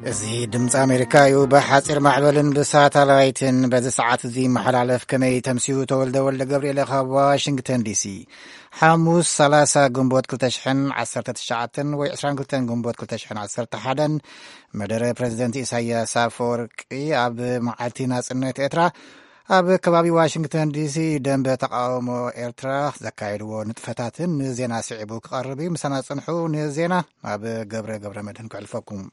እዚ ድምፂ ኣሜሪካ እዩ። ብሓፂር ማዕበልን ብሳተላይትን በዚ ሰዓት እዚ ይመሓላለፍ። ከመይ ተምስዩ? ተወልደ ወልደ ገብርኤል ካብ ዋሽንግተን ዲሲ። ሓሙስ ሰላሳ ግንቦት ክልተ ሽሕን ዓሰርተ ትሽዓተን ወይ ዕስራን ክልተን ግንቦት ክልተ ሽሕን ዓሰርተ ሓደን መደረ ፕሬዚደንት ኢሳያስ ኣፈወርቂ ኣብ መዓልቲ ናጽነት ኤርትራ ኣብ ከባቢ ዋሽንግተን ዲሲ ደንበ ተቃውሞ ኤርትራ ዘካየድዎ ንጥፈታትን ንዜና ስዒቡ ክቐርብ እዩ። ምሳና ጽንሑ። ንዜና ናብ ገብረ ገብረ መድህን ክዕልፈኩም።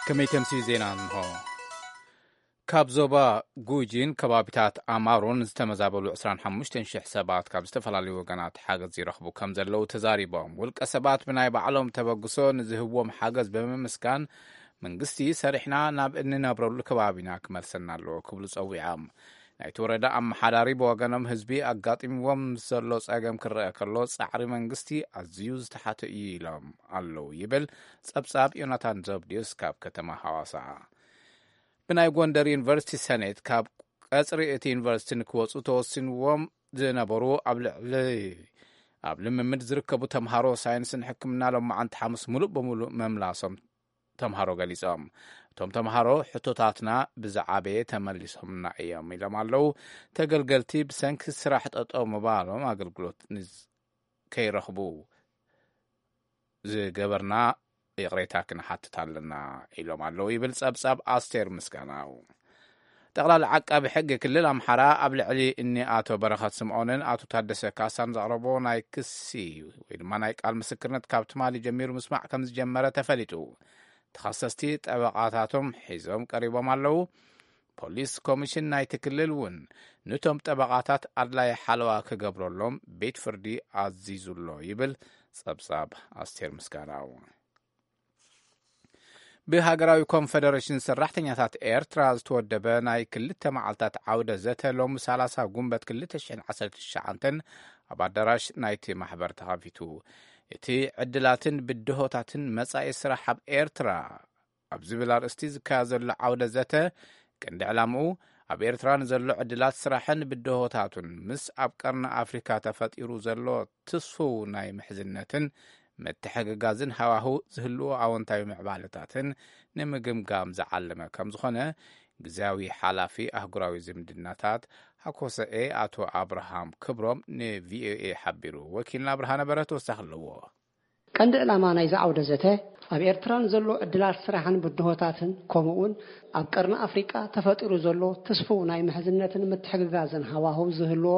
ከመይ ተምስዩ ዜና እንሆ። ካብ ዞባ ጉጂን ከባቢታት ኣማሮን ዝተመዛበሉ ዕስራን ሓሙሽተን ሽሕ ሰባት ካብ ዝተፈላለዩ ወገናት ሓገዝ ይረኽቡ ከም ዘለዉ ተዛሪቦም። ውልቀ ሰባት ብናይ ባዕሎም ተበግሶ ንዝህብዎም ሓገዝ ብምምስጋን፣ መንግስቲ ሰሪሕና ናብ እንነብረሉ ከባቢና ክመልሰና ኣለዎ ክብሉ ጸዊዖም። ናይቲ ወረዳ ኣመሓዳሪ ብወገኖም፣ ህዝቢ ኣጋጢምዎም ምስ ዘሎ ጸገም ክረአ ከሎ፣ ጻዕሪ መንግስቲ ኣዝዩ ዝተሓተ እዩ ኢሎም ኣለዉ ይብል ጸብጻብ ዮናታን ዘብድዮስ ካብ ከተማ ሃዋሳ። ብናይ ጎንደር ዩኒቨርሲቲ ሰኔት ካብ ቀጽሪ እቲ ዩኒቨርሲቲ ንክወጹ ተወሲንዎም ዝነበሩ ኣብ ልዕሊ ኣብ ልምምድ ዝርከቡ ተምሃሮ ሳይንስን ሕክምና ሎማዓንቲ ሓሙስ ሙሉእ ብሙሉእ መምላሶም ተምሃሮ ገሊጾም። እቶም ተምሃሮ፣ ሕቶታትና ብዝዓበየ ተመሊሶምና እዮም ኢሎም ኣለዉ። ተገልገልቲ ብሰንኪ ስራሕ ጠጠው ምባሎም ኣገልግሎት ንዝ-፣ ከይረኽቡ ዝገበርና ይቕሬታ ክንሓትት ኣለና ኢሎም ኣለዉ ይብል ጸብጻብ ኣስቴር ምስጋናው። ጠቕላሊ ዓቃቢ ሕጊ ክልል ኣምሓራ ኣብ ልዕሊ እኒ ኣቶ በረኸት ስምዖንን ኣቶ ታደሰ ካሳን ዘቕረቦ ናይ ክሲ ወይ ድማ ናይ ቃል ምስክርነት ካብ ትማሊ ጀሚሩ ምስማዕ ከም ዝጀመረ ተፈሊጡ። ተኸሰስቲ ጠበቓታቶም ሒዞም ቀሪቦም ኣለዉ። ፖሊስ ኮሚሽን ናይቲ ክልል እውን ንቶም ጠበቓታት ኣድላይ ሓለዋ ክገብረሎም ቤት ፍርዲ ኣዚዙ ኣሎ ይብል ጸብጻብ ኣስቴር ምስጋናው። ብሃገራዊ ኮንፈደሬሽን ሰራሕተኛታት ኤርትራ ዝተወደበ ናይ ክልተ መዓልታት ዓውደ ዘተ ሎሚ ሰላሳ ጉንበት ክልተ ሽሕን ዓሰርተ ትሽዓተን ኣብ ኣዳራሽ ናይቲ ማሕበር ተኻፊቱ። እቲ ዕድላትን ብድሆታትን መጻኢ ስራሕ ኣብ ኤርትራ ኣብ ዝብል ኣርእስቲ ዝካየድ ዘሎ ዓውደ ዘተ፣ ቀንዲ ዕላምኡ ኣብ ኤርትራ ንዘሎ ዕድላት ስራሕን ብድሆታቱን ምስ ኣብ ቀርኒ ኣፍሪካ ተፈጢሩ ዘሎ ትስፉው ናይ ምሕዝነትን ምትሕግጋዝን ሃዋህው ዝህልዎ ኣወንታዊ ምዕባለታትን ንምግምጋም ዝዓለመ ከም ዝኾነ፣ ግዝያዊ ሓላፊ ኣህጉራዊ ዝምድናታት ሃኮሰኤ ኣቶ ኣብርሃም ክብሮም ንቪኦኤ ሓቢሩ። ወኪልና ብርሃነ በረህ ተወሳኺ ኣለዎ። ቀንዲ ዕላማ ናይዚ ዓውደ ዘተ፣ ኣብ ኤርትራ ንዘሎ ዕድላት ስራሕን ብድሆታትን፣ ከምኡ'ውን ኣብ ቀርኒ ኣፍሪቃ ተፈጢሩ ዘሎ ትስፉው ናይ ምሕዝነትን ምትሕግጋዝን ሃዋህው ዝህልዎ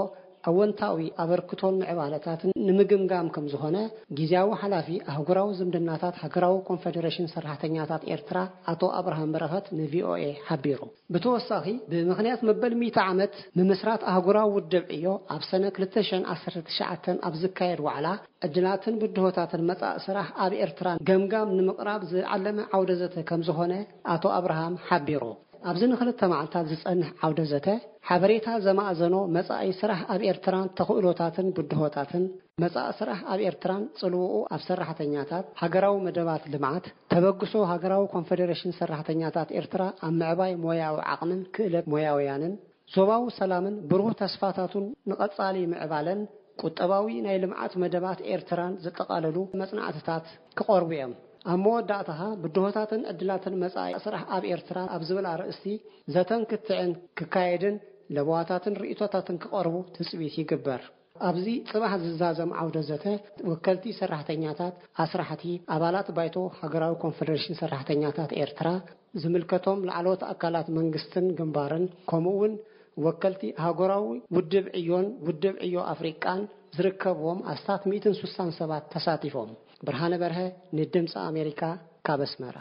ኣወንታዊ ኣበርክቶን ምዕባለታትን ንምግምጋም ከም ዝኾነ፣ ግዝያዊ ሓላፊ ኣህጉራዊ ዝምድናታት ሃገራዊ ኮንፈደሬሽን ሰራሕተኛታት ኤርትራ ኣቶ ኣብርሃም በረኸት ንቪኦኤ ሓቢሩ። ብተወሳኺ፣ ብምኽንያት መበል ሚእቲ ዓመት ምምስራት ኣህጉራዊ ውድብ ዕዮ፣ ኣብ ሰነ ክልተ ሽሕን ዓሰርተ ትሽዓተን ኣብ ዝካየድ ዋዕላ፣ ዕድላትን ብድሆታትን መጻኢ ስራሕ ኣብ ኤርትራ ገምጋም ንምቕራብ ዝዓለመ ዓውደ ዘተ ከም ዝኾነ ኣቶ ኣብርሃም ሓቢሩ። ኣብዚ ንኽልተ መዓልታት ዝጸንሕ ዓውደ ዘተ፣ ሓበሬታ ዘማእዘኖ መጻኢ ስራሕ ኣብ ኤርትራን ተኽእሎታትን ብድሆታትን፣ መጻኢ ስራሕ ኣብ ኤርትራን ጽልውኡ ኣብ ሰራሕተኛታት፣ ሃገራዊ መደባት ልምዓት፣ ተበግሶ ሃገራዊ ኮንፈደሬሽን ሰራሕተኛታት ኤርትራ ኣብ ምዕባይ ሞያዊ ዓቕምን ክእለት ሞያውያንን፣ ዞባዊ ሰላምን ብሩህ ተስፋታቱን ንቐጻሊ ምዕባለን ቁጠባዊ ናይ ልምዓት መደባት ኤርትራን ዘጠቓለሉ መጽናዕትታት ክቐርቡ እዮም። ኣብ መወዳእታኻ፣ ብድሆታትን ዕድላትን መጻኢ ስራሕ ኣብ ኤርትራ ኣብ ዝብል ኣርእስቲ ዘተን ክትዕን ክካየድን ለበዋታትን ርእይቶታትን ክቐርቡ ትጽቢት ይግበር። ኣብዚ ጽባሕ ዝዛዘም ዓውደ ዘተ፣ ወከልቲ ሰራሕተኛታት፣ ኣስራሕቲ፣ ኣባላት ባይቶ ሃገራዊ ኮንፈደሬሽን ሰራሕተኛታት ኤርትራ፣ ዝምልከቶም ላዕለዎት ኣካላት መንግስትን ግንባርን፣ ከምኡ'ውን ወከልቲ ኣህጉራዊ ውድብ ዕዮን ውድብ ዕዮ ኣፍሪቃን ዝርከብዎም ኣስታት ሚእትን ስሳን ሰባት ተሳቲፎም። ብርሃነ በርሀ ንድምፂ ኣሜሪካ ካብ ኣስመራ።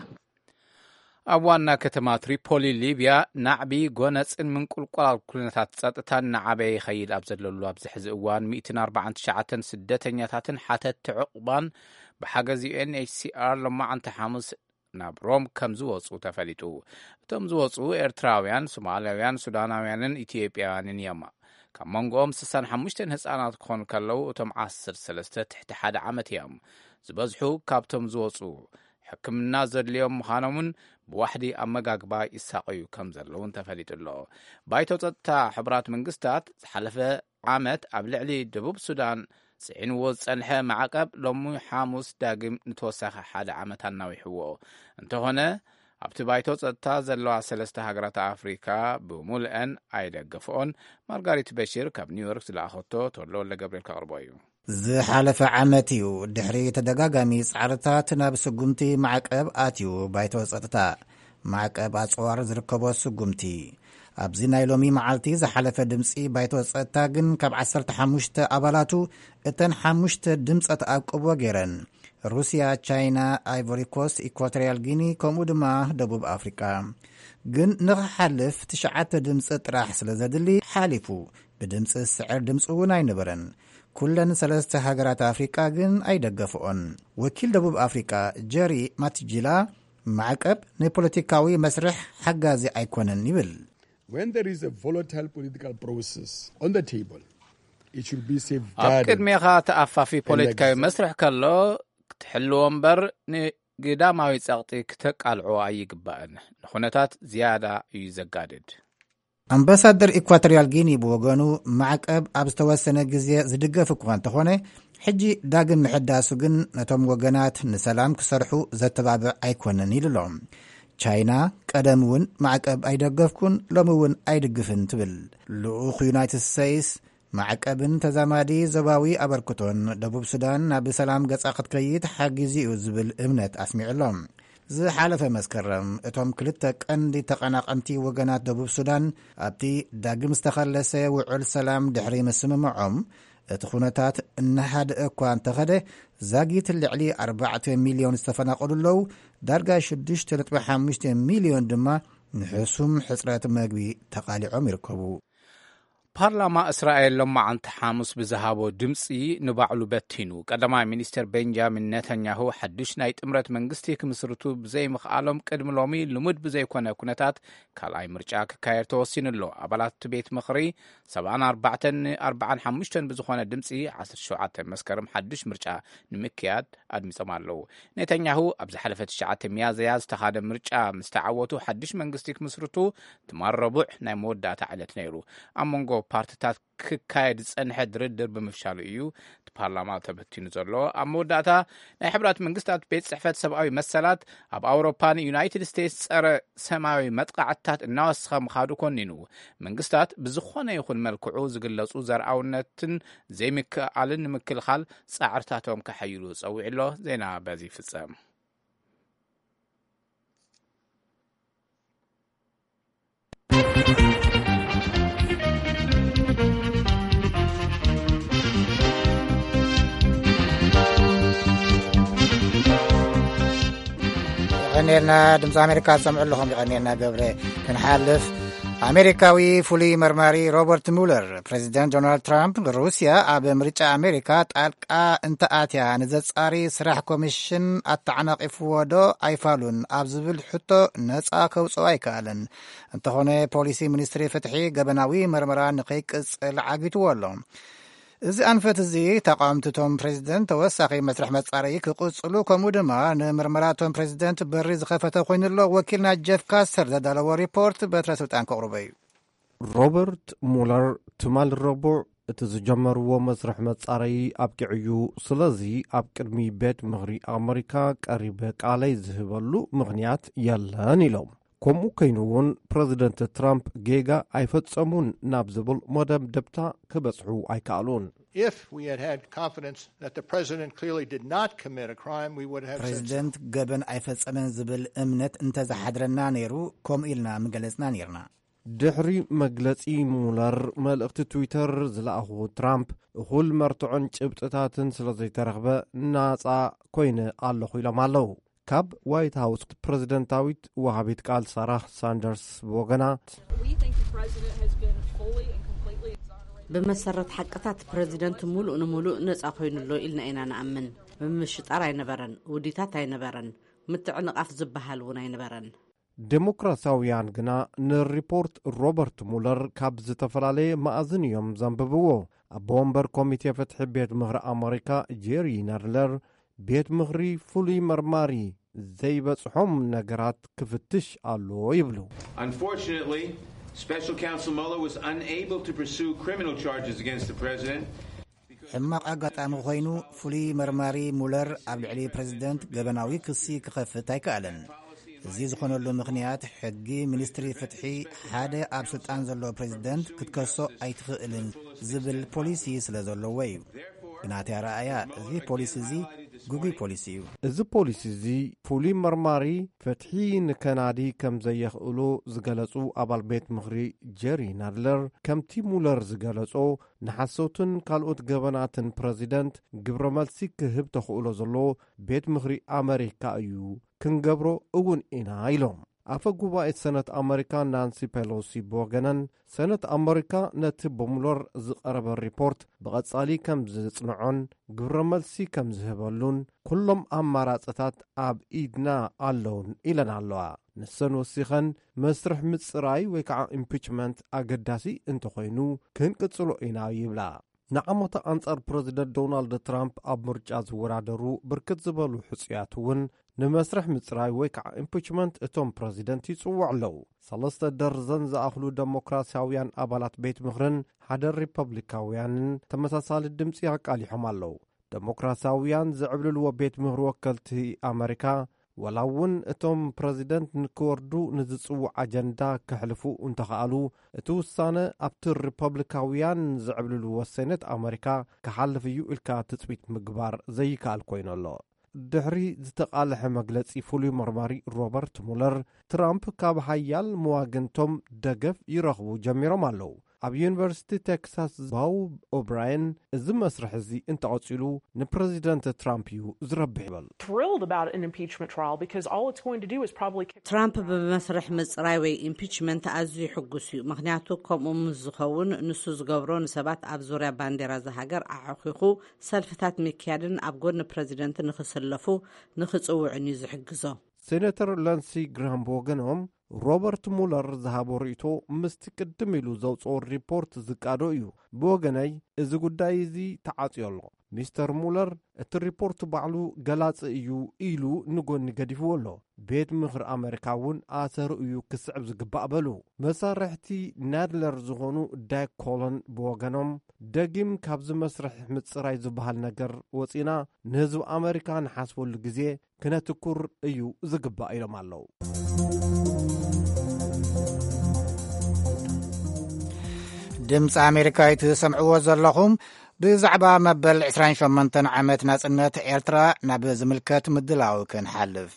ኣብ ዋና ከተማ ትሪፖሊ ሊብያ፣ ናዕቢ፣ ጎነጽን ምንቁልቋል ኩነታት ጸጥታን እናዓበየ ይኸይድ ኣብ ዘለሉ ኣብዚ ሕዚ እዋን፣ ሚእትን ኣርባዓን ትሽዓተን ስደተኛታትን ሓተትቲ ዕቑባን ብሓገዝ ዩ ኤን ኤች ሲ ኣር ሎማዓንቲ ሓሙስ ናብ ሮም ከም ዝወጹ ተፈሊጡ። እቶም ዝወጹ ኤርትራውያን፣ ሶማላውያን፣ ሱዳናውያንን ኢትዮጵያውያንን እዮም። ካብ መንጎኦም ስሳን ሓሙሽተን ህጻናት ክኾኑ ከለዉ፣ እቶም ዓሰርተ ሰለስተ ትሕቲ ሓደ ዓመት እዮም። ዝበዝሑ ካብቶም ዝወጹ ሕክምና ዘድልዮም ምዃኖምን ብዋሕዲ ኣመጋግባ ይሳቐዩ ከም ዘለዉን ተፈሊጡ ኣሎ። ባይቶ ጸጥታ ሕቡራት መንግስታት ዝሓለፈ ዓመት ኣብ ልዕሊ ደቡብ ሱዳን ጽዒንዎ ዝጸንሐ ማዕቀብ ሎሚ ሓሙስ ዳግም ንተወሳኺ ሓደ ዓመት ኣናዊሕዎ። እንተኾነ ኣብቲ ባይቶ ጸጥታ ዘለዋ ሰለስተ ሃገራት ኣፍሪካ ብምሉአን ኣይደገፍኦን። ማርጋሪት በሽር ካብ ኒውዮርክ ዝለኣኸቶ ተወልደ ወልደ ገብርኤል ከቕርቦ እዩ። ዝሓለፈ ዓመት እዩ ድሕሪ ተደጋጋሚ ጻዕርታት ናብ ስጉምቲ ማዕቀብ ኣትዩ ባይቶ ጸጥታ። ማዕቀብ ኣጽዋር ዝርከቦ ስጉምቲ። ኣብዚ ናይ ሎሚ መዓልቲ ዝሓለፈ ድምጺ ባይቶ ጸጥታ ግን ካብ ዓሰርተ ሓሙሽተ ኣባላቱ እተን ሓሙሽተ ድምጸ ተኣቅቦ ገይረን። ሩስያ፣ ቻይና፣ ኣይቮሪ ኮስት፣ ኢኳቶሪያል ጊኒ ከምኡ ድማ ደቡብ ኣፍሪቃ። ግን ንኽሓልፍ ትሽዓተ ድምጺ ጥራሕ ስለ ዘድሊ ሓሊፉ። ብድምጺ ዝስዕር ድምጺ እውን ኣይነበረን። ኩለን ሰለስተ ሃገራት ኣፍሪቃ ግን ኣይደገፍኦን። ወኪል ደቡብ ኣፍሪቃ ጀሪ ማትጂላ ማዕቀብ ንፖለቲካዊ መስርሕ ሓጋዚ ኣይኮነን ይብል። When there is a volatile political process on the table, it should be ኣብ safeguarded. ቅድሜኻ ተኣፋፊ ፖለቲካዊ መስርሕ ከሎ ክትሕልዎ እምበር ንግዳማዊ ጸቕጢ ክተቃልዖ ኣይግባእን። ንኹነታት ዝያዳ እዩ ዘጋድድ። ኣምባሳደር ኢኳቶሪያል ጊኒ ብወገኑ ማዕቀብ ኣብ ዝተወሰነ ግዜ ዝድገፍ እኳ እንተኾነ ሕጂ ዳግም ምሕዳሱ ግን ነቶም ወገናት ንሰላም ክሰርሑ ዘተባብዕ ኣይኮነን ኢሉ ኣሎ። ቻይና ቀደም እውን ማዕቀብ ኣይደገፍኩን፣ ሎሚ እውን ኣይድግፍን ትብል። ልኡኽ ዩናይትድ ስቴትስ ማዕቀብን ተዛማዲ ዞባዊ ኣበርክቶን ደቡብ ሱዳን ናብ ሰላም ገጻ ክትከይድ ሓጊዙ እዩ ዝብል እምነት ኣስሚዑ ኣሎ። ዝሓለፈ መስከረም እቶም ክልተ ቀንዲ ተቐናቐንቲ ወገናት ደቡብ ሱዳን ኣብቲ ዳግም ዝተኸለሰ ውዕል ሰላም ድሕሪ ምስምምዖም እቲ ኩነታት እናሃደአ እኳ እንተኸደ ዛጊት ልዕሊ ኣርባዕተ ሚልዮን ዝተፈናቐሉ ኣለዉ። ዳርጋ ሽዱሽተ ነጥቢ ሓሙሽተ ሚልዮን ድማ ንሕሱም ሕጽረት መግቢ ተቓሊዖም ይርከቡ። ፓርላማ እስራኤል ሎማዓንቲ ሓሙስ ብዝሃቦ ድምፂ ንባዕሉ በቲኑ። ቀዳማይ ሚኒስትር ቤንጃሚን ኔታንያሁ ሓዱሽ ናይ ጥምረት መንግስቲ ክምስርቱ ብዘይምኽኣሎም ቅድሚ ሎሚ ልሙድ ብዘይኮነ ኩነታት ካልኣይ ምርጫ ክካየድ ተወሲኑ ኣሎ። ኣባላት እቲ ቤት ምኽሪ ሰብዓን ኣርባዕተን ንኣርባዓን ሓሙሽተን ብዝኾነ ድምፂ ዓሰርተ ሸውዓተ መስከረም ሓዱሽ ምርጫ ንምክያድ ኣድሚፆም ኣለዉ። ኔታንያሁ ኣብ ዝሓለፈ ትሽዓተ ሚያዝያ ዝተኻደ ምርጫ ምስ ተዓወቱ ሓድሽ መንግስቲ ክምስርቱ ትማል ረቡዕ ናይ መወዳእታ ዕለት ነይሩ። ኣብ መንጎ ፓርትታት ክካየድ ዝጸንሐ ድርድር ብምፍሻሉ እዩ እቲ ፓርላማ ተበቲኑ ዘሎ። ኣብ መወዳእታ ናይ ሕብራት መንግስታት ቤት ጽሕፈት ሰብኣዊ መሰላት ኣብ ኣውሮፓ ንዩናይትድ ስቴትስ ጸረ ሰማያዊ መጥቃዕትታት እናወሰኸ ምኻዱ ኮኒኑ። መንግስታት ብዝኾነ ይኹን መልክዑ ዝግለጹ ዘርኣውነትን ዘይምክእኣልን ንምክልኻል ጻዕርታቶም ከሐይሉ ጸዊዑ ኣሎ። ዜና በዚ ይፍጸም። ይቐንየልና። ድምፂ ኣሜሪካ ትሰምዑ ኣለኹም። ይቐንየልና ገብረ። ክንሓልፍ፣ ኣሜሪካዊ ፍሉይ መርማሪ ሮበርት ሙለር ፕሬዚደንት ዶናልድ ትራምፕ ሩስያ ኣብ ምርጫ ኣሜሪካ ጣልቃ እንተኣትያ ንዘጻሪ ስራሕ ኮሚሽን ኣተዓናቒፍዎ ዶ ኣይፋሉን ኣብ ዝብል ሕቶ ነጻ ከውጽኦ ኣይከኣለን። እንተኾነ ፖሊሲ ሚኒስትሪ ፍትሒ ገበናዊ መርመራ ንኸይቅጽል ዓጊትዎ ኣሎ። እዚ ኣንፈት እዚ ተቃወምቲ እቶም ፕሬዚደንት ተወሳኺ መስርሕ መጻረዪ ክቕጽሉ ከምኡ ድማ ንምርመራ እቶም ፕሬዚደንት በሪ ዝኸፈተ ኮይኑ ኣሎ። ወኪልና ጀፍ ካስተር ዘዳለዎ ሪፖርት በትረ ስልጣን ከቕርቦ እዩ። ሮበርት ሙለር ትማል ረቡዕ እቲ ዝጀመርዎ መስርሕ መጻረዪ ኣብቂዑ እዩ። ስለዚ ኣብ ቅድሚ ቤት ምኽሪ ኣመሪካ ቀሪበ ቃለይ ዝህበሉ ምኽንያት የለን ኢሎም። ከምኡ ኮይኑ እውን ፕረዚደንት ትራምፕ ጌጋ ኣይፈጸሙን ናብ ዝብል መደምደምታ ክበጽሑ ኣይከኣሉን። If we had had confidence that the president clearly did not commit a crime, we would have said so. ፕሬዚደንት ገበን ኣይፈጸመን ዝብል እምነት እንተዝሓድረና ነይሩ ከምኡ ኢልና ምገለጽና ነይርና። ድሕሪ መግለጺ ሙለር፣ መልእኽቲ ትዊተር ዝለኣኹ ትራምፕ፣ እኹል መርትዖን ጭብጥታትን ስለ ዘይተረኽበ ናጻ ኮይነ ኣለኹ ኢሎም ኣለዉ። ካብ ዋይት ሃውስ ፕረዚደንታዊት ወሃቢት ቃል ሳራ ሳንደርስ ብወገና፣ We think the president has been fully and completely exonerated. ብመሰረት ሓቅታት ፕረዚደንት ሙሉእ ንሙሉእ ነጻ ኮይኑ ኣሎ ኢልና ኢና ንኣምን። ምምሽጣር ኣይነበረን፣ ውዲታት ኣይነበረን፣ ምትዕንቓፍ ዝበሃል እውን ኣይነበረን። ዴሞክራሲያውያን ግና ንሪፖርት ሮበርት ሙለር ካብ ዝተፈላለየ መኣዝን እዮም ዘንብብዎ። ኣቦ ወንበር ኮሚቴ ፍትሒ ቤት ምኽሪ ኣመሪካ ጄሪ ናድለር፣ ቤት ምኽሪ ፍሉይ መርማሪ ዘይበጽሖም ነገራት ክፍትሽ ኣሎ ይብሉ። Unfortunately, special counsel Mueller was unable to pursue criminal charges against the president. ሕማቕ ኣጋጣሚ ኮይኑ፣ ፍሉይ መርማሪ ሙለር ኣብ ልዕሊ ፕረዚደንት ገበናዊ ክሲ ክኸፍት ኣይከኣለን። እዚ ዝኾነሉ ምኽንያት፣ ሕጊ ሚኒስትሪ ፍትሒ ሓደ ኣብ ስልጣን ዘሎ ፕረዚደንት ክትከሶ ኣይትኽእልን ዝብል ፖሊሲ ስለ ዘለዎ እዩ። ብናተይ ኣረኣእያ፣ እዚ ፖሊሲ እዚ ግጉይ ፖሊሲ እዩ። እዚ ፖሊሲ እዚ፣ ፍሉይ መርማሪ ፍትሒ ንከናዲ ከም ዘየኽእሎ ዝገለጹ ኣባል ቤት ምኽሪ ጀሪ ናድለር፣ ከምቲ ሙለር ዝገለጾ፣ ንሓሶትን ካልኦት ገበናትን ፕረዚደንት ግብረ መልሲ ክህብ ተኽእሎ ዘሎ ቤት ምኽሪ ኣመሪካ እዩ፣ ክንገብሮ እውን ኢና ኢሎም። ኣፈ ጉባኤ ሰነት ኣመሪካ ናንሲ ፔሎሲ ብወገነን፣ ሰነት ኣመሪካ ነቲ ብሙለር ዝቐረበ ሪፖርት ብቐጻሊ ከም ዝጽንዖን ግብረ መልሲ ከም ዝህበሉን፣ ኩሎም ኣማራጽታት ኣብ ኢድና ኣለውን ኢለን ኣለዋ። ንሰን ወሲኸን፣ መስርሕ ምጽራይ ወይ ከዓ ኢምፒችመንት ኣገዳሲ እንተኾይኑ፣ ክንቅጽሎ ኢና ይብላ። ንዓመታ ኣንጻር ፕረዚደንት ዶናልድ ትራምፕ ኣብ ምርጫ ዝወዳደሩ ብርክት ዝበሉ ሕጹያት እውን ንመስርሕ ምጽራይ ወይ ከዓ ኢምፒችመንት እቶም ፕረዚደንት ይጽውዑ ኣለዉ። ሰለስተ ደርዘን ዝኣኽሉ ደሞክራሲያውያን ኣባላት ቤት ምኽርን ሓደ ሪፐብሊካውያንን ተመሳሳሊ ድምጺ ኣቃሊሖም ኣለዉ። ደሞክራሲያውያን ዝዕብልልዎ ቤት ምኽሪ ወከልቲ ኣመሪካ፣ ወላ እውን እቶም ፕረዚደንት ንክወርዱ ንዝጽውዕ ኣጀንዳ ከሕልፉ እንተኸኣሉ፣ እቲ ውሳነ ኣብቲ ሪፐብሊካውያን ዝዕብልልዎ ሴኔት ኣመሪካ ክሓልፍ እዩ ኢልካ ትጽቢት ምግባር ዘይከኣል ኮይኑ ኣሎ። ድሕሪ ዝተቓልሐ መግለጺ ፍሉይ መርማሪ ሮበርት ሙለር፣ ትራምፕ ካብ ሓያል መዋግንቶም ደገፍ ይረኽቡ ጀሚሮም ኣለዉ። ኣብ ዩኒቨርሲቲ ቴክሳስ ባው ኦብራየን፣ እዚ መስርሕ እዚ እንተቐጺሉ ንፕረዚደንት ትራምፕ እዩ ዝረብሕ ይብል። Thrilled about an impeachment trial because all it's going to do is probably kick ትራምፕ ብመስርሕ ምጽራይ ወይ ኢምፒችመንት ኣዝዩ ሕጉስ እዩ፣ ምኽንያቱ ከምኡ ምስ ዝኸውን ንሱ ዝገብሮ ንሰባት ኣብ ዙርያ ባንዴራ እዛ ሃገር ኣዕኺኹ ሰልፍታት ምክያድን ኣብ ጎኒ ፕረዚደንት ንኽስለፉ ንኽጽውዕን እዩ ዝሕግዞ። ሴኔተር ለንሲ ግራም ብወገኖም፣ ሮበርት ሙለር ዝሃቦ ርእይቶ ምስቲ ቅድም ኢሉ ዘውፅኦ ሪፖርት ዝቃዶ እዩ። ብወገነይ እዚ ጉዳይ እዚ ተዓፅዮ ኣሎ። ሚስተር ሙለር እቲ ሪፖርት ባዕሉ ገላፂ እዩ ኢሉ ንጎኒ ገዲፍዎ ኣሎ። ቤት ምኽሪ ኣመሪካ እውን ኣሰሩ እዩ ክስዕብ ዝግባእ በሉ። መሳርሕቲ ናድለር ዝኾኑ ዳይክ ኮለን ብወገኖም፣ ደጊም ካብዚ መስርሕ ምፅራይ ዝበሃል ነገር ወፂና ንህዝቢ ኣመሪካ ንሓስበሉ ግዜ ክነትኩር እዩ ዝግባእ ኢሎም ኣለዉ። ድምፂ ኣሜሪካ እዩ ትሰምዕዎ ዘለኹም። ብዛዕባ መበል ዕስራን ሸሞንተን ዓመት ናጽነት ኤርትራ ናብ ዝምልከት ምድላው ክንሓልፍ።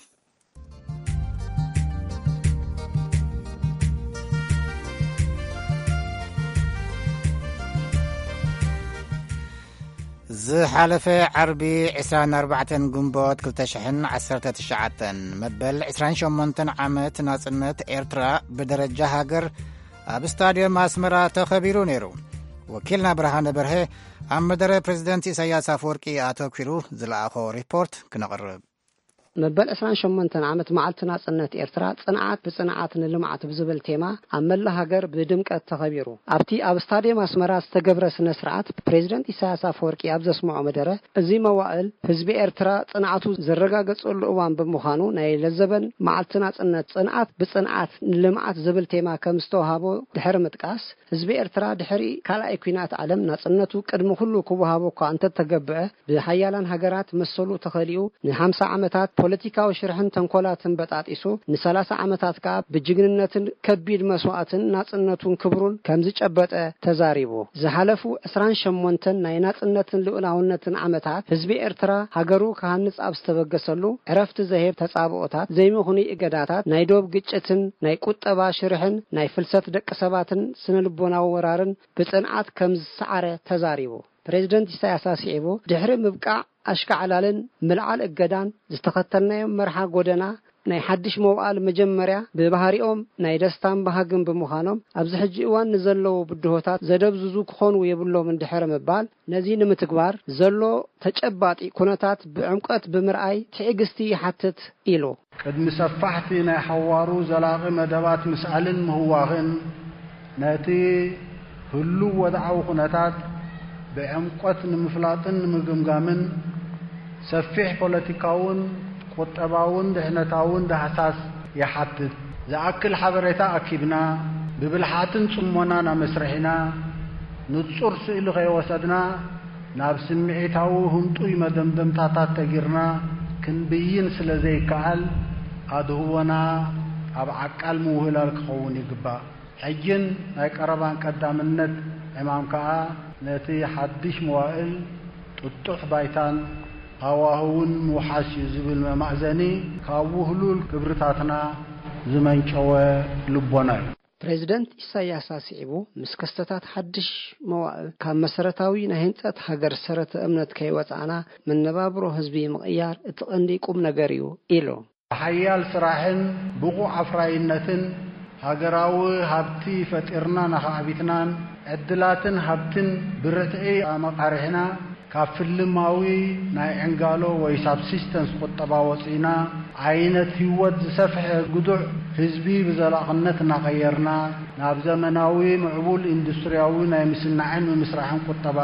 ዝሓለፈ ዓርቢ ዕስራን ኣርባዕተን ግንቦት ክልተ ሽሕን ዓሰርተ ትሽዓተን መበል ዕስራን ሸሞንተን ዓመት ናጽነት ኤርትራ ብደረጃ ሃገር ኣብ ስታድዮም ኣስመራ ተኸቢሩ ነይሩ። ወኪልና ብርሃነ በርሀ ኣብ መደረ ፕሬዚደንት ኢሳያስ ኣፈወርቂ ኣተኲሩ ዝለኣኾ ሪፖርት ክነቕርብ። መበል ዕስራን ሸሞንተን ዓመት መዓልቲ ናጽነት ኤርትራ ጽንዓት ብጽንዓት ንልምዓት ብዝብል ቴማ ኣብ መላ ሃገር ብድምቀት ተኸቢሩ። ኣብቲ ኣብ ስታድየም ኣስመራ ዝተገብረ ስነ ስርዓት ፕሬዚደንት ኢሳያስ ኣፈወርቂ ኣብ ዘስምዖ መደረ፣ እዚ መዋእል ህዝቢ ኤርትራ ጽንዓቱ ዘረጋገጸሉ እዋን ብምዃኑ ናይ ለዘበን መዓልቲ ናጽነት ጽንዓት ብጽንዓት ንልምዓት ዝብል ቴማ ከም ዝተዋሃቦ ድሕሪ ምጥቃስ፣ ህዝቢ ኤርትራ ድሕሪ ካልኣይ ኲናት ዓለም ናጽነቱ ቅድሚ ኩሉ ክወሃቦ እኳ እንተተገብዐ፣ ብሓያላን ሃገራት መሰሉ ተኸሊኡ ንሓምሳ ዓመታት ፖለቲካዊ ሽርሕን ተንኮላትን በጣጢሱ፣ ንሰላሳ ዓመታት ከኣ ብጅግንነትን ከቢድ መስዋእትን ናጽነቱን ክብሩን ከም ዝጨበጠ ተዛሪቡ። ዝሓለፉ ዕስራን ሸሞንተን ናይ ናጽነትን ልኡላውነትን ዓመታት ህዝቢ ኤርትራ ሃገሩ ክሃንጽ ኣብ ዝተበገሰሉ፣ ዕረፍቲ ዘሄብ ተጻብኦታት፣ ዘይምኽኑይ እገዳታት፣ ናይ ዶብ ግጭትን ናይ ቁጠባ ሽርሕን ናይ ፍልሰት ደቂ ሰባትን ስነ ልቦናዊ ወራርን ብጽንዓት ከም ዝሰዓረ ተዛሪቡ። ፕሬዚደንት ኢሳያስ ኣስዒቡ፣ ድሕሪ ምብቃዕ ኣሽካዕላልን ምልዓል እገዳን ዝተኸተልናዮም መርሓ ጎደና ናይ ሓድሽ መውዓል መጀመርያ ብባህሪኦም ናይ ደስታን ባህግን ብምዃኖም፣ ኣብዚ ሕጂ እዋን ንዘለዉ ብድሆታት ዘደብዝዙ ክኾኑ የብሎምን ድሕሪ ምባል፣ ነዚ ንምትግባር ዘሎ ተጨባጢ ኩነታት ብዕምቆት ብምርኣይ ትዕግስቲ ይሓትት ኢሉ። ቅድሚ ሰፋሕቲ ናይ ሓዋሩ ዘላቒ መደባት ምስኣልን ምህዋኽን፣ ነቲ ህሉው ወድዓዊ ኩነታት ብዕምቆት ንምፍላጥን ንምግምጋምን፣ ሰፊሕ ፖለቲካውን ቁጠባውን ድሕነታውን ዳህሳስ ይሓትት። ዝኣክል ሓበሬታ ኣኪብና፣ ብብልሓትን ጽሞናን ኣመስሪሕና፣ ንጹር ስእሊ ከይወሰድና፣ ናብ ስምዒታዊ ህንጡይ መደምደምታታት ተጊርና ክንብይን ስለ ዘይከኣል፣ ኣድህቦና ኣብ ዓቃል ምውህላል ክኸውን ይግባእ። ሕጅን ናይ ቀረባን ቀዳምነት ዕማም ከኣ ነቲ ሓድሽ መዋእል ጥጡሕ ባይታን ሃዋህውን ምውሓስ እዩ ዝብል መማእዘኒ ካብ ውህሉል ክብርታትና ዝመንጨወ ልቦና እዩ። ፕሬዚደንት ኢሳያስ ኣስዒቡ፣ ምስ ክስተታት ሓድሽ መዋእል ካብ መሰረታዊ ናይ ህንጸት ሃገር ሰረተ እምነት ከይወጻእና፣ መነባብሮ ህዝቢ ምቕያር እቲ ቀንዲ ቁም ነገር እዩ ኢሉ። ብሓያል ስራሕን ብቑዕ ኣፍራይነትን ሃገራዊ ሃብቲ ፈጢርና ናኻዕቢትናን ዕድላትን ሃብትን ብርትዒ ኣመቓርሕና ካብ ፍልማዊ ናይ ዕንጋሎ ወይ ሳብሲስተንስ ቁጠባ ወፂና ዓይነት ህይወት ዝሰፍሐ ግዱዕ ህዝቢ ብዘላቕነት እናቐየርና ናብ ዘመናዊ ምዕቡል ኢንዱስትሪያዊ ናይ ምስናዕን ምምስራሕን ቁጠባ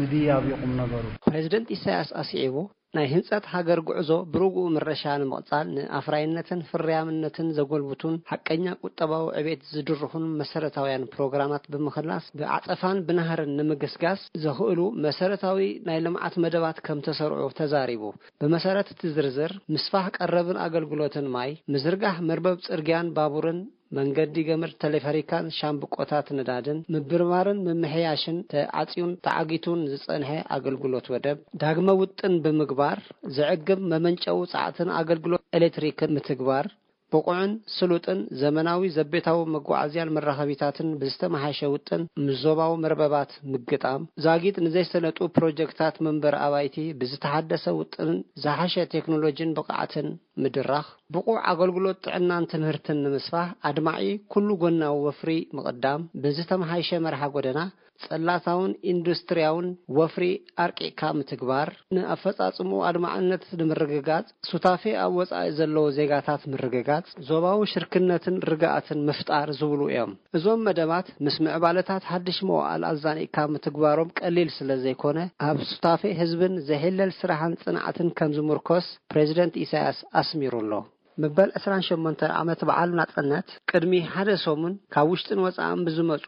ምድያብ እዩ ቁም ነገሩ። ፕሬዚደንት ኢሳያስ ኣስዒቡ ናይ ህንጸት ሃገር ጉዕዞ ብርግኡ ምረሻ ንምቕጻል ንኣፍራይነትን ፍርያምነትን ዘጎልብቱን ሓቀኛ ቁጠባዊ ዕቤት ዝድርኹን መሰረታውያን ፕሮግራማት ብምኽላስ ብዓጸፋን ብናህርን ንምግስጋስ ዘኽእሉ መሰረታዊ ናይ ልምዓት መደባት ከም ተሰርዑ ተዛሪቡ። ብመሰረት እቲ ዝርዝር ምስፋሕ ቀረብን ኣገልግሎትን ማይ፣ ምዝርጋሕ መርበብ ጽርግያን ባቡርን መንገዲ ገመድ ተሌፈሪካን ሻምብቆታት ነዳድን ምብርባርን ምምሕያሽን ተዓጽዩን ተዓጊቱን ዝጸንሐ ኣገልግሎት ወደብ ዳግመ ውጥን ብምግባር ዘዕግብ መመንጨዊ ጸዓትን ኣገልግሎት ኤሌክትሪክን ምትግባር ብቑዕን ስሉጥን ዘመናዊ ዘቤታዊ መጓዓዝያን መራኸቢታትን ብዝተመሓሸ ውጥን ምስ ዞባዊ መርበባት ምግጣም ዛጊድ ንዘይሰለጡ ፕሮጀክታት መንበሪ ኣባይቲ ብዝተሓደሰ ውጥንን ዝሓሸ ቴክኖሎጂን ብቕዓትን ምድራኽ፣ ብቑዕ ኣገልግሎት ጥዕናን ትምህርትን ንምስፋሕ ኣድማዒ ኩሉ ጎናዊ ወፍሪ ምቕዳም፣ ብዝተመሓይሸ መርሓ ጎደና፣ ጽላታውን ኢንዱስትርያውን ወፍሪ ኣርቂቕካ ምትግባር፣ ንኣፈጻጽምኡ ኣድማዕነት ንምርግጋጽ፣ ሱታፌ ኣብ ወጻኢ ዘለዉ ዜጋታት ምርግጋጽ፣ ዞባዊ ሽርክነትን ርግኣትን ምፍጣር ዝብሉ እዮም። እዞም መደባት ምስ ምዕባለታት ሓድሽ መዋእል ኣዛኒቕካ ምትግባሮም ቀሊል ስለ ዘይኮነ፣ ኣብ ሱታፌ ህዝብን ዘይሕለል ስራሕን ጽንዓትን ከም ዝምርኮስ ፕሬዚደንት ኢሳያስ ኣስሚሩ ኣሎ። መበል ዕስራን ሸሞንተን ዓመት በዓል ናጽነት ቅድሚ ሓደ ሰሙን ካብ ውሽጥን ወጻእን ብዝመጹ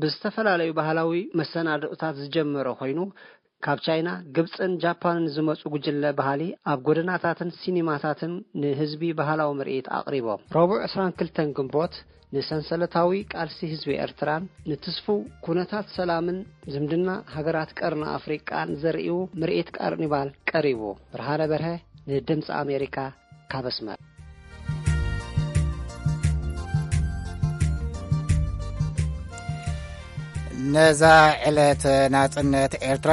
ብዝተፈላለዩ ባህላዊ መሰናድኦታት ዝጀመረ ኮይኑ፣ ካብ ቻይና፣ ግብጽን ጃፓንን ዝመጹ ጉጅለ ባህሊ ኣብ ጎደናታትን ሲኒማታትን ንህዝቢ ባህላዊ ምርኢት ኣቕሪቦም። ረቡዕ ዕስራን ክልተን ግንቦት ንሰንሰለታዊ ቃልሲ ህዝቢ ኤርትራን ንትስፉው ኩነታት ሰላምን ዝምድና ሃገራት ቀርኒ ኣፍሪቃን ዘርእዩ ምርኢት ካርኒቫል ቀሪቡ። ብርሃነ በርሀ ንድምፂ ኣሜሪካ ካብ ኣስመራ። ነዛ ዕለት ናጽነት ኤርትራ፣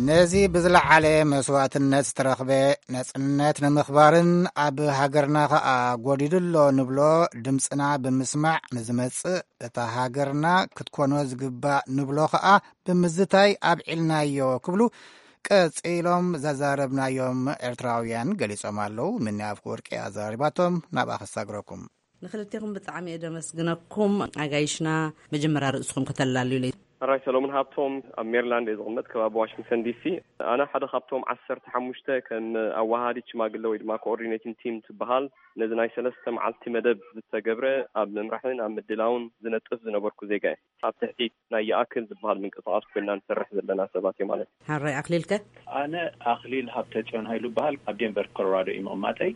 ነዚ ብዝለዓለ መስዋእትነት ዝተረኽበ ናጽነት ንምኽባርን ኣብ ሃገርና ኸኣ ጎዲሉ ኣሎ ንብሎ ድምጽና ብምስማዕ ንዝመጽእ፣ እታ ሃገርና ክትኮኖ ዝግባእ ንብሎ ኸኣ ብምዝታይ ኣብዒልናዮ ክብሉ ቀጺሎም ዘዛረብናዮም ኤርትራውያን ገሊጾም ኣለዉ። ምኒ ኣፍወርቂ ኣዛሪባቶም፣ ናብኣ ከሳግረኩም። ንክልቴኹም ብጣዕሚ እየ ደመስግነኩም። ኣጋይሽና፣ መጀመርያ ርእስኹም ከተላልዩለይ። ሕራይ ሰሎሙን ሃብቶም፣ ኣብ ሜሪላንድ እየ ዝቕመጥ፣ ከባቢ ዋሽንግተን ዲሲ። ኣነ ሓደ ካብቶም ዓሰርተ ሓሙሽተ ከም ኣወሃሃዲት ሽማግለ ወይ ድማ ኮኦርዲኔቲንግ ቲም ትበሃል፣ ነዚ ናይ ሰለስተ መዓልቲ መደብ ዝተገብረ ኣብ ምምራሕን ኣብ ምድላውን ዝነጥፍ ዝነበርኩ ዜጋ እየ። ኣብ ትሕቲ ናይ ይኣክል ዝበሃል ምንቅስቓስ ኮይና ንሰርሕ ዘለና ሰባት እዩ ማለት እዩ። ሓራይ ኣኽሊልከ? ኣነ ኣኽሊል ሃብተጽዮን ሃይሉ እበሃል። ኣብ ዴንቨር ኮሎራዶ እዩ ምቕማጠይ።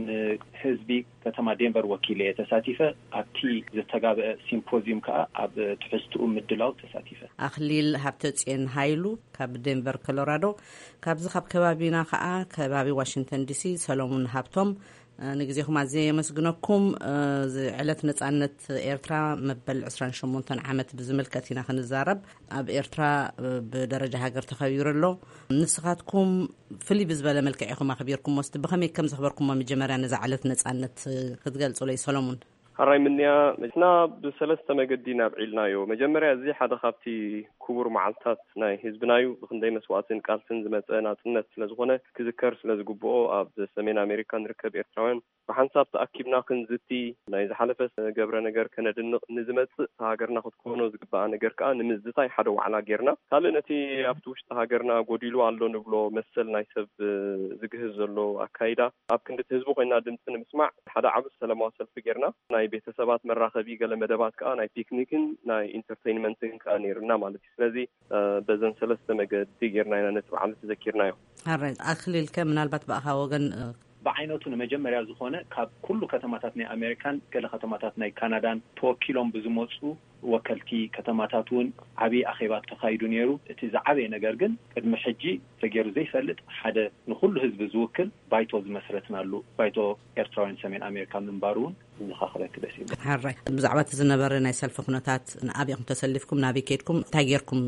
ንህዝቢ ከተማ ዴንቨር ወኪለ እየ ተሳቲፈ። ኣብቲ ዝተጋብአ ሲምፖዚዩም ከኣ ኣብ ትሕዝትኡ ምድላው ተሳቲፈ። ኣኽሊል ሃብተጽዮን ሃይሉ ካብ ዴንቨር ኮሎራዶ። ካብዚ ካብ ከባቢና ከኣ ከባቢ ዋሽንግተን ዲሲ ሰሎሙን ሃብቶም። ንግዜኹም ኣዝየ የመስግነኩም። እዚ ዕለት ነጻነት ኤርትራ መበል ዕስራን ሸሞንተን ዓመት ብዝምልከት ኢና ክንዛረብ። ኣብ ኤርትራ ብደረጃ ሃገር ተኸቢሩ ኣሎ። ንስኻትኩም ፍልይ ብዝበለ መልክዕ ኢኹም ኣኽቢርኩሞ። እስቲ ብኸመይ ከም ዘኽበርኩሞ መጀመርያ ነዛ ዕለት ነጻነት ክትገልጹለይ ሰሎሙን። ሕራይ ምንያ፣ ንሕና ብሰለስተ መገዲ ኢና ኣብዒልናዮ። መጀመርያ፣ እዚ ሓደ ካብቲ ክቡር መዓልታት ናይ ህዝብና እዩ። ብኽንደይ መስዋእትን ቃልስን ዝመጸ ናጽነት ስለ ዝኾነ፣ ክዝከር ስለ ዝግብኦ፣ ኣብ ሰሜን ኣሜሪካ ንርከብ ኤርትራውያን ብሓንሳብ ተኣኪብና ክንዝቲ፣ ናይ ዝሓለፈ ገብረ ነገር ከነድንቕ፣ ንዝመጽእ ሃገርና ክትኮኖ ዝግባኣ ነገር ከኣ ንምዝታይ ሓደ ዋዕላ ጌርና። ካልእ ነቲ ኣብቲ ውሽጢ ሃገርና ጎዲሉ ኣሎ ንብሎ መሰል ናይ ሰብ ዝግህዝ ዘሎ ኣካይዳ፣ ኣብ ክንዲ እቲ ህዝቢ ኮይና ድምፂ ንምስማዕ ሓደ ዓቢ ሰላማዊ ሰልፊ ጌርና። ናይ ቤተሰባት መራኸቢ ገለ መደባት ከኣ ናይ ፒክኒክን ናይ ኢንተርቴይንመንትን ከኣ ነይርና ማለት እዩ። ስለዚ በዘን ሰለስተ መገዲ ጌርና ኢና ነቲ በዓል ተዘኪርናዮ። ኣረ ኣክሊልከ ምናልባት ብኣኻ ወገን ብዓይነቱ ንመጀመርያ ዝኾነ ካብ ኩሉ ከተማታት ናይ ኣሜሪካን ገለ ከተማታት ናይ ካናዳን ተወኪሎም ብዝመፁ ወከልቲ ከተማታት እውን ዓብዪ ኣኼባ ተኻይዱ ነይሩ። እቲ ዝዓበየ ነገር ግን ቅድሚ ሕጂ ተገይሩ ዘይፈልጥ ሓደ ንኹሉ ህዝቢ ዝውክል ባይቶ ዝመስረትናሉ ባይቶ ኤርትራውያን ሰሜን ኣሜሪካ ምንባሩ እውን ዝኻኽረክ ደስ ይብል። ሓራይ ብዛዕባ እቲ ዝነበረ ናይ ሰልፊ ኩነታት፣ ኣበይ ኢኹም ተሰሊፍኩም፣ ናበይ ከድኩም፣ እንታይ ጌርኩም?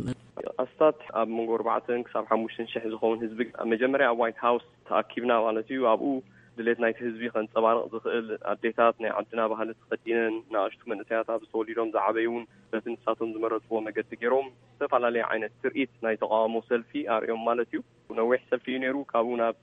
ኣስታት ኣብ መንጎ ኣርባዕተን ክሳብ ሓሙሽተን ሽሕ ዝኸውን ህዝቢ ኣብ መጀመርያ ኣብ ዋይት ሃውስ ተኣኪብና ማለት እዩ። ኣብኡ ድሌት ናይቲ ህዝቢ ከንጸባርቕ ዝኽእል፣ ኣዴታት ናይ ዓድና ባህሊ ተኸዲነን፣ ንኣሽቱ መንእሰያት ኣብዚ ተወሊዶም ዝዓበዩ እውን በቲ ንሳቶም ዝመረጽዎ መገዲ ገይሮም ዝተፈላለየ ዓይነት ትርኢት ናይ ተቓውሞ ሰልፊ ኣርእዮም ማለት እዩ። ነዊሕ ሰልፊ እዩ ነይሩ። ካብኡ ናብ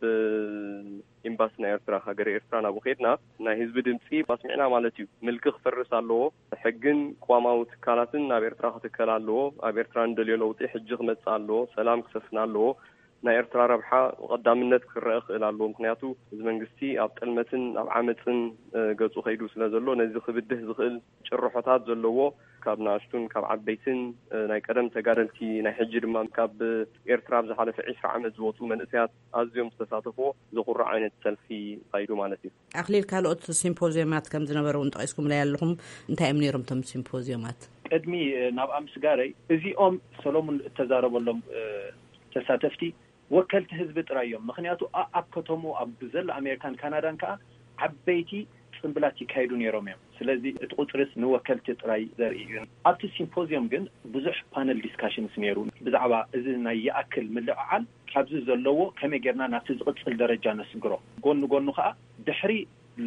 ኤምባሲ ናይ ኤርትራ፣ ሃገረ ኤርትራ ናብኡ ከድና ናይ ህዝቢ ድምፂ ኣስሚዕና ማለት እዩ። ምልኪ ክፈርስ ኣለዎ፣ ሕግን ቅዋማዊ ትካላትን ናብ ኤርትራ ክትከል ኣለዎ፣ ኣብ ኤርትራ እንደልዮ ለውጢ ሕጂ ክመፅእ ኣለዎ፣ ሰላም ክሰፍን ኣለዎ፣ ናይ ኤርትራ ረብሓ ቀዳምነት ክረአ ክእል ኣለዎ። ምክንያቱ እዚ መንግስቲ ኣብ ጥልመትን ኣብ ዓመፅን ገፁ ከይዱ ስለ ዘሎ፣ ነዚ ክብድህ ዝኽእል ጭርሖታት ዘለዎ ካብ ንኣሽቱን ካብ ዓበይትን ናይ ቀደም ተጋደልቲ፣ ናይ ሕጂ ድማ ካብ ኤርትራ ኣብ ዝሓለፈ ዕስራ ዓመት ዝወፁ መንእሰያት ኣዝዮም ዝተሳተፍዎ ዘኹርዕ ዓይነት ሰልፊ ካይዱ ማለት እዩ። ኣክሊል፣ ካልኦት ሲምፖዚዮማት ከም ዝነበረ እውን ጠቒስኩምለይ ኣለኹም። እንታይ እዮም ነይሮም እቶም ሲምፖዚዮማት? ቅድሚ ናብ ኣምስጋረይ እዚኦም ሰሎሙን እተዛረበሎም ተሳተፍቲ ወከልቲ ህዝቢ ጥራይ እዮም። ምክንያቱ ኣብ ከተሙ ኣብ ዘሎ ኣሜሪካን ካናዳን ከዓ ዓበይቲ ፅንብላት ይካየዱ ነይሮም እዮም። ስለዚ እቲ ቁፅርስ ንወከልቲ ጥራይ ዘርኢ እዩ። ኣብቲ ሲምፖዚየም ግን ብዙሕ ፓነል ዲስካሽንስ ነይሩ። ብዛዕባ እዚ ናይ ይኣክል ምልዕዓል ካብዚ ዘለዎ ከመይ ጌርና ናብቲ ዝቕጽል ደረጃ ነስግሮ፣ ጎኒ ጎኑ ከዓ ድሕሪ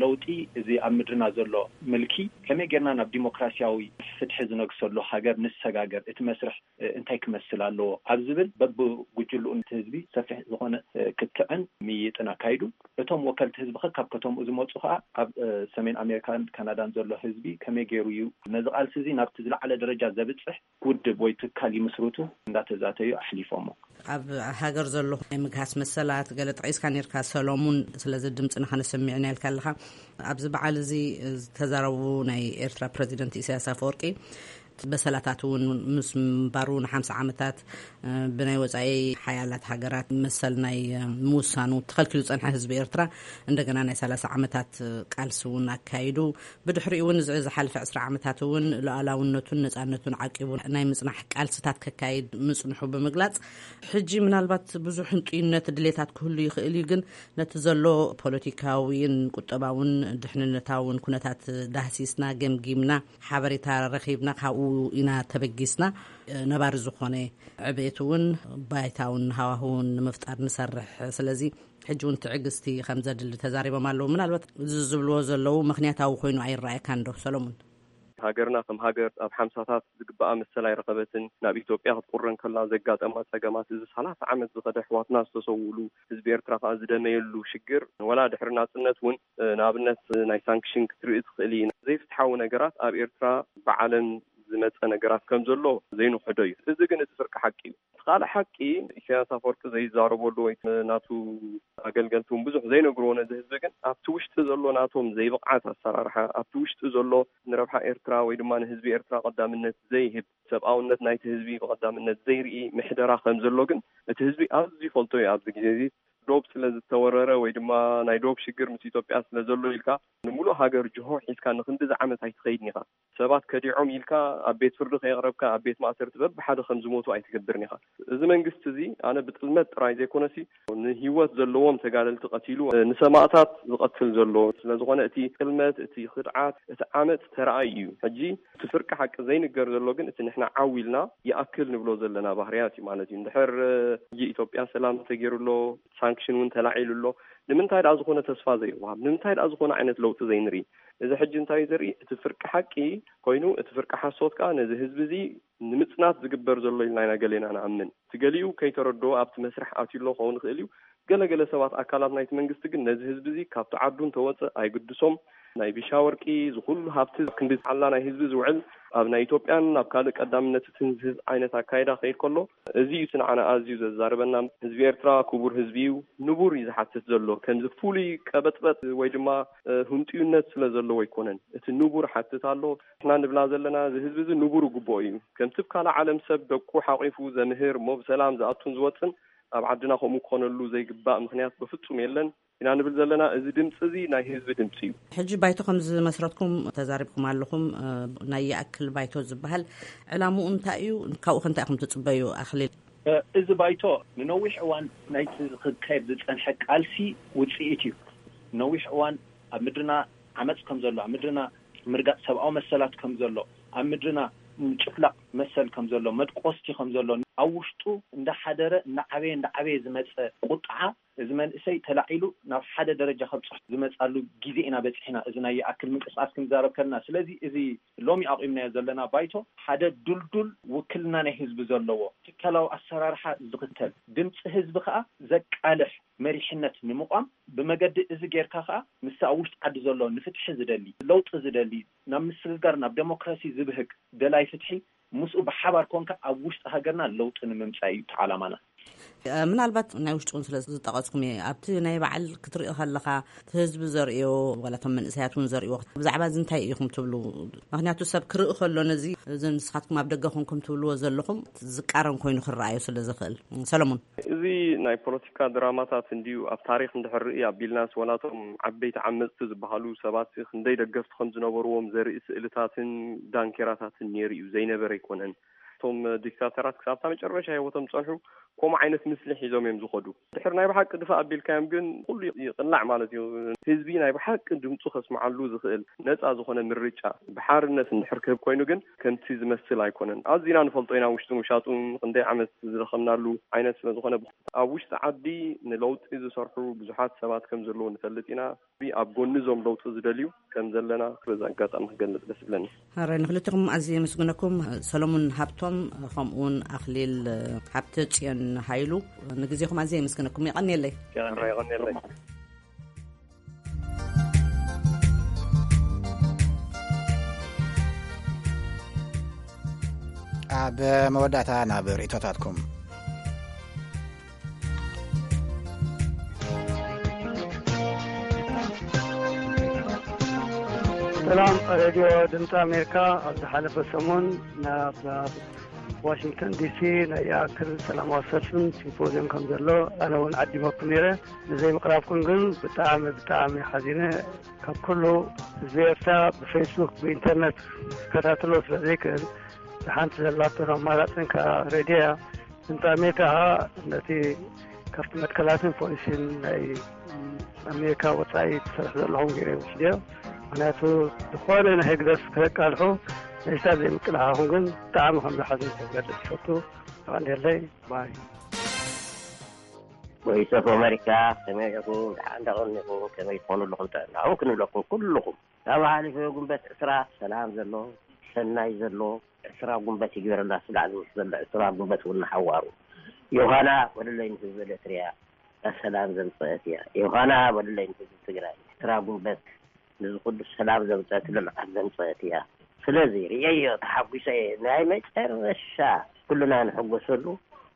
ለውጢ እዚ ኣብ ምድርና ዘሎ ምልኪ ከመይ ጌርና ናብ ዲሞክራሲያዊ ፍትሒ ዝነግሰሉ ሃገር ንሰጋገር፣ እቲ መስርሕ እንታይ ክመስል ኣለዎ ኣብ ዝብል በብጉጅልኡ ነቲ ህዝቢ ሰፊሕ ዝኾነ ክትዕን ምይይጥን ኣካይዱ። እቶም ወከልቲ ህዝቢ ከ ካብ ከተምኡ ዝመፁ ከዓ ኣብ ሰሜን ኣሜሪካን ካናዳን ዘሎ ህዝቢ ከመይ ገይሩ እዩ ነዚ ቃልሲ እዚ ናብቲ ዝለዓለ ደረጃ ዘብፅሕ ውድብ ወይ ትካል ይምስርቱ እንዳተዛተዩ ኣሕሊፎሞ። ኣብ ሃገር ዘሎ ናይ ምግሃስ መሰላት ገለ ጠቒስካ ነርካ ሰሎሙን፣ ስለዚ ድምፅና ከነሰሚዕና ኢልካ ኣለኻ። ኣብዚ በዓል እዚ ዝተዛረቡ ናይ ኤርትራ ፕረዚደንት ኢሳያስ ኣፈወርቂ በሰላታት እውን ምስ ምንባሩ ንሓምሳ ዓመታት ብናይ ወፃኢ ሓያላት ሃገራት መሰል ናይ ምውሳኑ ተኸልኪሉ ዝፀንሐ ህዝቢ ኤርትራ እንደገና ናይ ሰላሳ ዓመታት ቃልሲ እውን ኣካይዱ። ብድሕሪኡ እውን እዚ ዝሓለፈ ዕስራ ዓመታት እውን ሉዓላውነቱን ነፃነቱን ዓቂቡ ናይ ምፅናሕ ቃልስታት ከካይድ ምፅንሑ ብምግላፅ፣ ሕጂ ምናልባት ብዙሕ ህንጡይነት ድሌታት ክህሉ ይኽእል እዩ፣ ግን ነቲ ዘሎ ፖለቲካዊን ቁጠባውን ድሕንነታውን ኩነታት ዳህሲስና ገምጊምና ሓበሬታ ረኺብና ካብኡ ኢና ተበጊስና ነባሪ ዝኾነ ዕቤት እውን ባይታውን ሃዋህውን ንምፍጣር ንሰርሕ። ስለዚ ሕጂ እውን ትዕግስቲ ከም ዘድሊ ተዛሪቦም ኣለዉ። ምናልባት እዚ ዝብልዎ ዘለዉ ምኽንያታዊ ኮይኑ ኣይረኣየካን ዶ ሰሎሙን? ሃገርና ከም ሃገር ኣብ ሓምሳታት ዝግባኣ መሰል ኣይረኸበትን። ናብ ኢትዮጵያ ክትቁረ እንከላ ዘጋጠማ ጸገማት፣ እዚ ሰላሳ ዓመት ዝኸደ ኣሕዋትና ዝተሰውኡሉ፣ ህዝቢ ኤርትራ ከኣ ዝደመየሉ ሽግር፣ ወላ ድሕሪ ናጽነት እውን ንኣብነት ናይ ሳንክሽን ክትርኢ ትኽእል ኢና። ዘይፍትሓዊ ነገራት ኣብ ኤርትራ ብዓለም ዝመጸ ነገራት ከም ዘሎ ዘይንኽሕዶ እዩ። እዚ ግን እቲ ፍርቂ ሓቂ እዩ። እቲ ካልእ ሓቂ ኢሳያስ ኣፈወርቂ ዘይዛረበሉ ወይ ናቱ ኣገልገልቲ እውን ብዙሕ ዘይነግርዎ ነዚ ህዝቢ ግን ኣብቲ ውሽጢ ዘሎ ናቶም ዘይብቕዓት ኣሰራርሓ፣ ኣብቲ ውሽጢ ዘሎ ንረብሓ ኤርትራ ወይ ድማ ንህዝቢ ኤርትራ ቀዳምነት ዘይህብ፣ ሰብኣውነት ናይቲ ህዝቢ ብቐዳምነት ዘይርኢ ምሕደራ ከም ዘሎ ግን እቲ ህዝቢ ኣዝዩ ይፈልጦ እዩ። ኣብዚ ግዜ እዚ ዶብ ስለ ዝተወረረ ወይ ድማ ናይ ዶብ ሽግር ምስ ኢትዮጵያ ስለ ዘሎ ኢልካ ንምሉእ ሃገር ጅሆ ሒዝካ ንክንድዚ ዓመት ኣይትኸይድን ኢኻ። ሰባት ከዲዖም ኢልካ ኣብ ቤት ፍርዲ ከየቕረብካ ኣብ ቤት ማእሰርቲ በብሓደ ከም ዝሞቱ ኣይትገብርን ኢኻ። እዚ መንግስቲ እዚ ኣነ ብጥልመት ጥራይ ዘይኮነሲ ንህይወት ዘለዎም ተጋደልቲ ቀቲሉ ንሰማእታት ዝቐትል ዘሎ ስለ ዝኾነ እቲ ጥልመት፣ እቲ ክድዓት፣ እቲ ዓመፅ ተረኣዩ እዩ። ሕጂ እቲ ፍርቂ ሓቂ ዘይንገር ዘሎ ግን እቲ ንሕና ዓው ኢልና ይኣክል ንብሎ ዘለና ባህርያት እዩ ማለት እዩ። እንድሕር ሕጂ ኢትዮጵያ ሰላም ተገይሩ ኣሎ፣ ሳንክሽን እውን ተላዒሉ ኣሎ። ንምንታይ ደኣ ዝኾነ ተስፋ ዘይወሃብ? ንምንታይ ደኣ ዝኾነ ዓይነት ለውጢ ዘይንርኢ? እዚ ሕጂ እንታይ እዩ ዘርኢ? እቲ ፍርቂ ሓቂ ኮይኑ፣ እቲ ፍርቂ ሓሶት ከኣ ነዚ ህዝቢ እዚ ንምጽናት ዝግበር ዘሎ ኢልና ኢና ገሌና ንኣምን። እቲ ገሊኡ ከይተረድኦ ኣብቲ መስርሕ ኣትዩ ኣሎ ክኸውን ይኽእል እዩ። ገለገለ ሰባት ኣካላት ናይቲ መንግስቲ ግን ነዚ ህዝቢ እዚ ካብቲ ዓዱ እንተወፀ ኣይግድሶም። ናይ ቢሻ ወርቂ ዝኩሉ ሃብቲ ክንዲ ሓላ ናይ ህዝቢ ዝውዕል ኣብ ናይ ኢትዮጵያን ኣብ ካልእ ቀዳምነት እቲ ህዝቢ ዓይነት ኣካይዳ ክኸይድ ከሎ፣ እዚ እዩ እቲ ንዓና ኣዝዩ ዘዛርበና። ህዝቢ ኤርትራ ክቡር ህዝቢ እዩ። ንቡር እዩ ዝሓትት ዘሎ። ከምዚ ፍሉይ ቀበጥበጥ ወይ ድማ ህንጥዩነት ስለ ዘለዎ ኣይኮነን። እቲ ንቡር ሓትት ኣሎ። ንሕና ንብላ ዘለና እዚ ህዝቢ እዚ ንቡር ግቡኦ እዩ። ከምቲ ኣብ ካልእ ዓለም ሰብ ደቁ ሓቂፉ ዘምህር እሞ ብሰላም ዝኣቱን ዝወፅን፣ ኣብ ዓድና ከምኡ ክኾነሉ ዘይግባእ ምክንያት ብፍፁም የለን። ኢና ንብል ዘለና። እዚ ድምፂ እዚ ናይ ህዝቢ ድምፂ እዩ። ሕጂ ባይቶ ከም ዝመስረትኩም ተዛሪብኩም ኣለኹም። ናይ ይኣክል ባይቶ ዝበሃል ዕላምኡ እንታይ እዩ? ካብኡ ከ እንታይ ኢኹም ትፅበዩ? ኣኽሊል። እዚ ባይቶ ንነዊሕ እዋን ናይቲ ክካየድ ዝፀንሐ ቃልሲ ውፅኢት እዩ። ነዊሕ እዋን ኣብ ምድርና ዓመፅ ከም ዘሎ፣ ኣብ ምድርና ምርጋፅ ሰብኣዊ መሰላት ከም ዘሎ፣ ኣብ ምድርና ምጭፍላቕ መሰል ከም ዘሎ፣ መድቆስቲ ከም ዘሎ፣ ኣብ ውሽጡ እንዳሓደረ እንዳዓበየ እንዳዓበየ ዝመፀ ቁጥዓ፣ እዚ መንእሰይ ተላዒሉ ናብ ሓደ ደረጃ ከብፅሕ ዝመፃሉ ግዜ ኢና በፂሕና። እዚ ናይ ይኣክል ምንቅስቃስ ክንዛረብ ከለና፣ ስለዚ እዚ ሎሚ ኣቑምናዮ ዘለና ባይቶ ሓደ ድልዱል ውክልና ናይ ህዝቢ ዘለዎ ትካላዊ ኣሰራርሓ ዝኽተል፣ ድምፂ ህዝቢ ከዓ ዘቃልሕ መሪሕነት ንምቋም፣ ብመገዲ እዚ ጌርካ ከዓ ምስቲ ኣብ ውሽጢ ዓዲ ዘሎ ንፍትሒ ዝደሊ፣ ለውጢ ዝደሊ፣ ናብ ምስግጋር ናብ ዴሞክራሲ ዝብህግ ደላይ ፍትሒ ምስኡ ብሓባር ኮንካ ኣብ ውሽጢ ሃገርና ለውጢ ንምምፃእ እዩ እቲ ዓላማና። ምናልባት ናይ ውሽጢ እውን ስለ ዝጠቐስኩም እየ፣ ኣብቲ ናይ ባዕል ክትርኢ ከለኻ እቲ ህዝቢ ዘርእዮ ዋላ እቶም መንእሰያት እውን ዘርእዎ ብዛዕባ እዚ እንታይ ኢኹም ትብሉ? ምክንያቱ ሰብ ክርኢ ከሎ ነዚ እዚ ንስኻትኩም ኣብ ደገ ኮንኩም ትብልዎ ዘለኹም ዝቃረን ኮይኑ ክረኣዮ ስለ ዝኽእል። ሰለሙን። እዚ ናይ ፖለቲካ ድራማታት እንድዩ። ኣብ ታሪኽ እንድሕር ርኢ ኣቢልናስ ዋላ እቶም ዓበይቲ ዓመፅቲ ዝበሃሉ ሰባት ክንደይ ደገፍቲ ከም ዝነበርዎም ዘርኢ ስእልታትን ዳንኬራታትን ነይሩ እዩ። ዘይነበረ ኣይኮነን። እቶም ዲክታተራት ክሳብታ መጨረሻ ህይወቶም ዝፀንሑ ከምኡ ዓይነት ምስሊ ሒዞም እዮም ዝኸዱ። ድሕር ናይ ብሓቂ ድፋ ኣቢልካዮም ግን ኩሉ ይቕላዕ ማለት እዩ። ህዝቢ ናይ ብሓቂ ድምፁ ከስምዓሉ ዝኽእል ነፃ ዝኾነ ምርጫ ብሓርነት እንድሕር ክህብ ኮይኑ ግን ከምቲ ዝመስል ኣይኮነን። ኣዚና ንፈልጦ ኢና ውሽጥን ውሻጡን ክንደይ ዓመት ዝደኸምናሉ ዓይነት ስለ ዝኾነ። ኣብ ውሽጢ ዓዲ ንለውጢ ዝሰርሑ ብዙሓት ሰባት ከም ዘለዉ ንፈልጥ ኢና። ኣብ ጎኒ እዞም ለውጢ ዝደልዩ ከም ዘለና በዚ ኣጋጣሚ ክገልጽ ደስ ይብለኒ። ሕራይ ንክልቲኹም ኣዝየ የመስግነኩም። ሰሎሙን ሃብቶም ከምኡውን ኣኽሊል ሃብተ ጽዮን ሃይሉ ንግዜኹም ኣዝየ የመስግነኩም። የቐንየለይ። ሕራይ የቐንየለይ። ኣብ መወዳእታ ናብ ርእይቶታትኩም። ሰላም ሬድዮ ድምፂ ኣሜሪካ፣ ኣብ ዝሓለፈ ሰሙን ናብ ዋሽንግተን ዲሲ ናይ ይኣክል ሰላማዊ ሰልፍን ሲምፖዚየም ከም ዘሎ ኣነ እውን ዓዲመኩም ነይረ። ንዘይምቕራብኩም ግን ብጣዕሚ ብጣዕሚ ሓዚነ። ካብ ኩሉ ህዝቢ ኤርትራ ብፌስቡክ ብኢንተርነት ክከታተሎ ስለ ዘይክእል፣ ሓንቲ ዘላቶን ኣማራፅን ከዓ ሬድዮ እያ። ድምፂ ኣሜሪካ ከዓ ነቲ ካብቲ መትከላትን ፖሊሲን ናይ ኣሜሪካ ወፃኢ ትሰርሕ ዘለኹም ገይረ ይወስድዮ። ምክንያቱ ዝኾነ ናይ ህግደፍ ከቃልሑ ንእሽታ ዘይምቅላሓኹም ግን ብጣዕሚ ከም ዝሓዝን ክገልፅ ይፈቱ። ይቐንየለይ። ባይ። ቮይስ ኦፍ ኣሜሪካ፣ ከመይ ኢኹም? ደሓን ደቐኒኹም? ከመይ ትኾኑ ኣለኹም? ጥዕናኹም ክንብለኩም ኩልኹም። ካብ ሓሊፉ ጉንበት ዕስራ ሰላም ዘሎ፣ ሰናይ ዘሎ፣ ዕስራ ጉንበት ይግበረልና። ስላዕሊ ምስ ዘሎ ዕስራ ጉንበት እውን ንሓዋሩ። ዮሃና ወለለይ ንህዝቢ ኤርትርያ ሰላም ዘምፀአት እያ። ዮሃና ወለለይ ንህዝቢ ትግራይ ዕስራ ጉንበት ንዚ ኩሉ ሰላም ዘምፀአት ልምዓት ዘምፀአት እያ። ስለዚ ርእየዮ፣ ተሓጒሰ እየ። ናይ መጨረሻ ኩልና ንሕጎሰሉ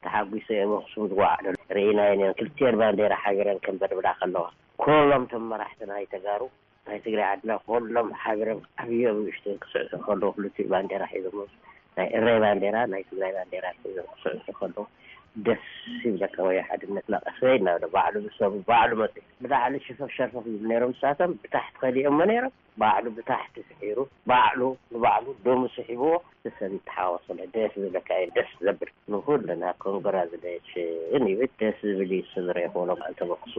ተሓጒሰ እየ። ኣብ ኣኽሱም ዝወዓለሉ ርኢናዮ ነይሩ። ክልቲኤን ባንዴራ ሓቢረን ከንበድብዳ ከለዋ፣ ኩሎም እቶም መራሕቲ ናይ ተጋሩ ናይ ትግራይ ዓድና ኩሎም ሓቢሮም ዓብዮም ንእሽቶን ክስዕስዑ ከለዉ ክልቲኡ ባንዴራ ሒዞም፣ ናይ ኤረይ ባንዴራ ናይ ትግራይ ባንዴራ ሒዞም ክስዕስዑ ከለዉ ደስ ይብለካ። ወይ ሓድነትና ቀሰይ እናበለ ባዕሉ ብሰቡ ባዕሉ መፅኡ። ብላዕሊ ሽፈፍ ሸርፈፍ ይብሉ ነይሮም ንሳቶም፣ ብታሕቲ ከሊኦሞ ነይሮም። ባዕሉ ብታሕቲ ስሒሩ፣ ባዕሉ ንባዕሉ ደሙ ስሒብዎ፣ ተሰን ተሓዋስለ ደስ ዝብለካ እዩ፣ ደስ ዘብል። ንኹልና ኮንግራጁሌሽን ይብል። ደስ ዝብል እዩ፣ ስለ ዝረኣኹ በዓል ተበክሱ።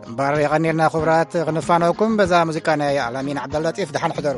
እምበኣር የቐንየልና ክቡራት፣ ክንፋነወኩም በዛ ሙዚቃ ናይ ኣላሚን ዓብደልለጢፍ። ደሓን ሕደሩ።